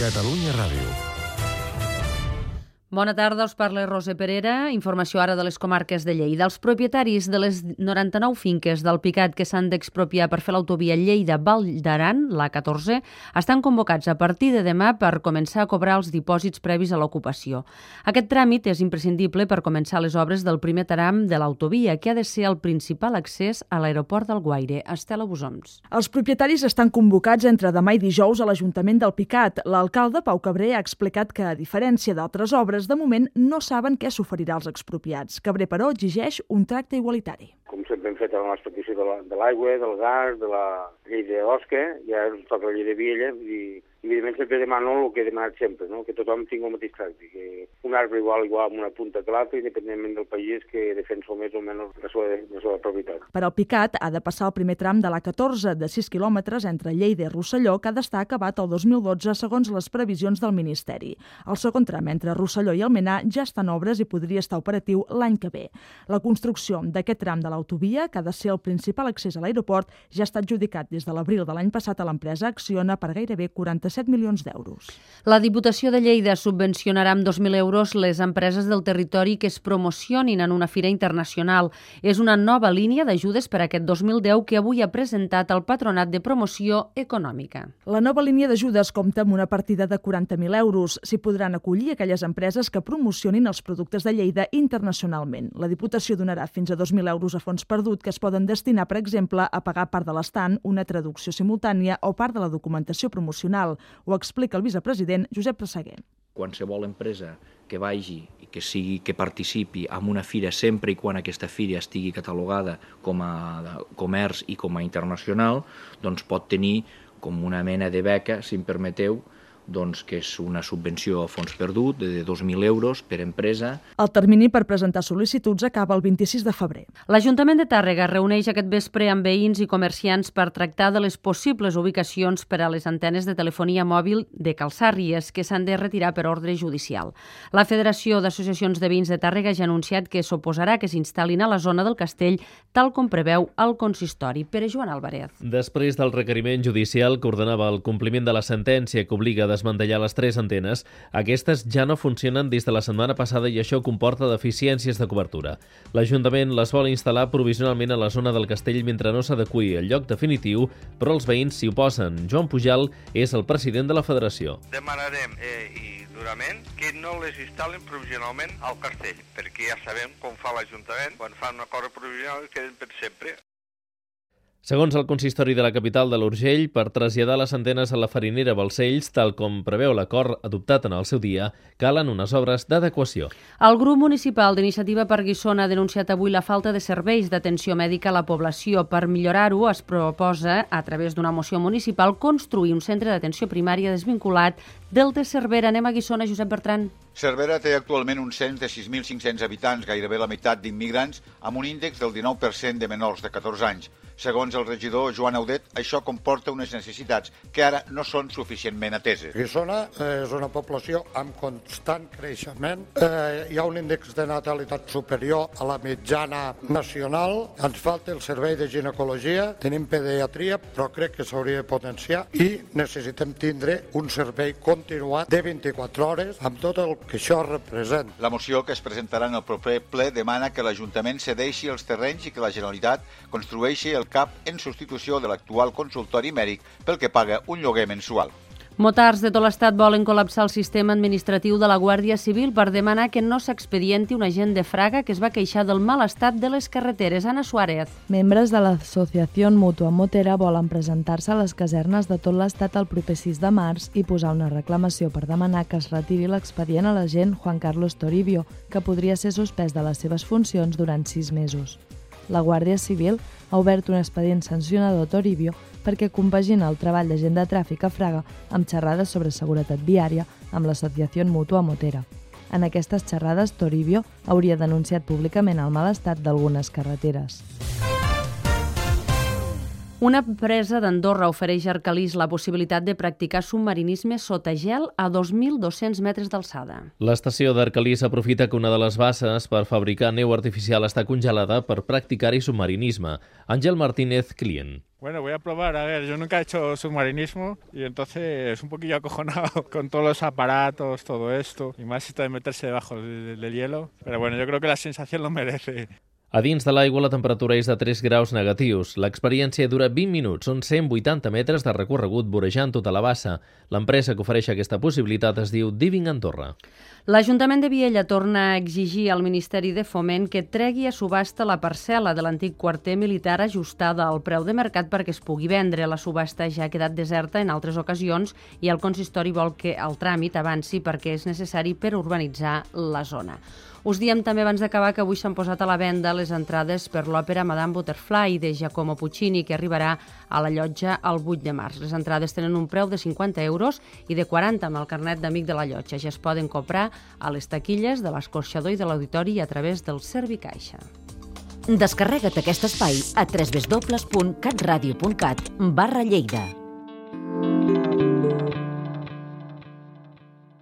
Catalunya Ràdio. Bona tarda, us parla Roser Perera. Informació ara de les comarques de Lleida. Els propietaris de les 99 finques del Picat que s'han d'expropiar per fer l'autovia Lleida-Val d'Aran, la 14, estan convocats a partir de demà per començar a cobrar els dipòsits previs a l'ocupació. Aquest tràmit és imprescindible per començar les obres del primer tram de l'autovia, que ha de ser el principal accés a l'aeroport d'Alguaire. Estela Busoms. Els propietaris estan convocats entre demà i dijous a l'Ajuntament del Picat. L'alcalde, Pau Cabré, ha explicat que, a diferència d'altres obres, de moment no saben què s'oferirà als expropiats. Cabré, però, exigeix un tracte igualitari. Com sempre hem fet a la nostra petició de l'aigua, del gas, de la llei d'Osca, ja ens toca la llei de Viella, i evidentment sempre demano el que he demanat sempre, no? Que tothom tingui el mateix tracte, que un arbre igual amb una punta que l'altre, independentment del país, que defensa més o menys la seva propietat. Per al Picat ha de passar el primer tram de la 14 de 6 quilòmetres entre Lleida i Rosselló, que ha d'estar acabat el 2012 segons les previsions del Ministeri. El segon tram entre Rosselló i Almenar ja està en obres i podria estar operatiu l'any que ve. La construcció d'aquest tram de l'autovia, que ha de ser el principal accés a l'aeroport, ja està adjudicat des de l'abril de l'any passat a l'empresa Acciona per gairebé 47 milions d'euros. La Diputació de Lleida subvencionarà amb 2.000 euros les empreses del territori que es promocionin en una fira internacional. És una nova línia d'ajudes per a aquest 2010 que avui ha presentat el Patronat de Promoció Econòmica. La nova línia d'ajudes compta amb una partida de 40.000 euros. S'hi podran acollir aquelles empreses que promocionin els productes de Lleida internacionalment. La Diputació donarà fins a 2.000 euros a fons perdut que es poden destinar, per exemple, a pagar part de l'estant, una traducció simultània o part de la documentació promocional. Ho explica el vicepresident Josep Presseguer. Qualsevol empresa que vagi i que participi en una fira sempre i quan aquesta fira estigui catalogada com a comerç i com a internacional, doncs pot tenir com una mena de beca, si em permeteu, doncs que és una subvenció a fons perdut de 2.000 euros per empresa. El termini per presentar sol·licituds acaba el 26 de febrer. L'Ajuntament de Tàrrega reuneix aquest vespre amb veïns i comerciants per tractar de les possibles ubicacions per a les antenes de telefonia mòbil de Calçàrries que s'han de retirar per ordre judicial. La Federació d'Associacions de Veïns de Tàrrega ja ha anunciat que s'oposarà que s'instal·lin a la zona del castell, tal com preveu el consistori. Pere Joan Álvarez. Després del requeriment judicial que ordenava el compliment de la sentència que obliga a desmantellar les 3 antenes, aquestes ja no funcionen des de la setmana passada i això comporta deficiències de cobertura. L'Ajuntament les vol instal·lar provisionalment a la zona del castell mentre no s'adeqüi el lloc definitiu, però els veïns s'hi oposen. Joan Pujal és el president de la federació. Demanarem i durament que no les instal·len provisionalment al castell, perquè ja sabem com fa l'Ajuntament, quan fan una cosa provisional queden per sempre. Segons el consistori de la capital de l'Urgell, per traslladar les antenes a la farinera Balcells, tal com preveu l'acord adoptat en el seu dia, calen unes obres d'adequació. El grup municipal d'Iniciativa per Guissona ha denunciat avui la falta de serveis d'atenció mèdica a la població. Per millorar-ho, es proposa, a través d'una moció municipal, construir un centre d'atenció primària desvinculat del de Cervera. Anem a Guissona, Josep Bertran. Cervera té actualment un cens de 6.500 habitants, gairebé la meitat d'immigrants, amb un índex del 19% de menors de 14 anys. Segons el regidor Joan Audet, això comporta unes necessitats que ara no són suficientment ateses. Guissona és una població amb constant creixement. Hi ha un índex de natalitat superior a la mitjana nacional. Ens falta el servei de ginecologia, tenim pediatria, però crec que s'hauria de potenciar i necessitem tindre un servei continuat de 24 hores amb tot el que això representa. La moció que es presentarà en el proper ple demana que l'Ajuntament cedeixi els terrenys i que la Generalitat construeixi el CAP en substitució de l'actual consultori mèdic pel que paga un lloguer mensual. Motards de tot l'estat volen col·lapsar el sistema administratiu de la Guàrdia Civil per demanar que no s'expedienti un agent de Fraga que es va queixar del mal estat de les carreteres. Ana Suárez. Membres de l'Associació Mútua Motera volen presentar-se a les casernes de tot l'estat el proper 6 de març i posar una reclamació per demanar que es retiri l'expedient a l'agent Juan Carlos Toribio, que podria ser suspès de les seves funcions durant 6 mesos. La Guàrdia Civil ha obert un expedient sancionador a Toribio perquè compagina el treball d'agent de tràfic a Fraga amb xerrades sobre seguretat viària amb l'Associació Mútua Motera. En aquestes xerrades, Toribio hauria denunciat públicament el mal estat d'algunes carreteres. Una empresa d'Andorra ofereix a Arcalís la possibilitat de practicar submarinisme sota gel a 2.200 metres d'alçada. L'estació d'Arcalís aprofita que una de les basses per fabricar neu artificial està congelada per practicar-hi submarinisme. Àngel Martínez, client. Bueno, voy a probar, a ver, yo nunca he hecho submarinismo y entonces es un poquillo acojonado con todos los aparatos, todo esto, y más esto de meterse debajo del hielo, pero bueno, yo creo que la sensación lo merece. A dins de l'aigua la temperatura és de 3 graus negatius. L'experiència dura 20 minuts, són 180 metres de recorregut vorejant tota la bassa. L'empresa que ofereix aquesta possibilitat es diu Diving Andorra. L'Ajuntament de Viella torna a exigir al Ministeri de Foment que tregui a subhasta la parcel·la de l'antic quarter militar ajustada al preu de mercat perquè es pugui vendre. La subhasta ja ha quedat deserta en altres ocasions i el consistori vol que el tràmit avanci perquè és necessari per urbanitzar la zona. Us diem també abans d'acabar que avui s'han posat a la venda les entrades per l'òpera Madame Butterfly de Giacomo Puccini, que arribarà a la llotja el 8 de març. Les entrades tenen un preu de 50 euros i de 40 amb el carnet d'amic de la llotja. Ja es poden comprar a les taquilles de l'escorxador i de l'auditori a través del Servicaixa. Descarrega't aquest espai a www.catradio.cat/Lleida.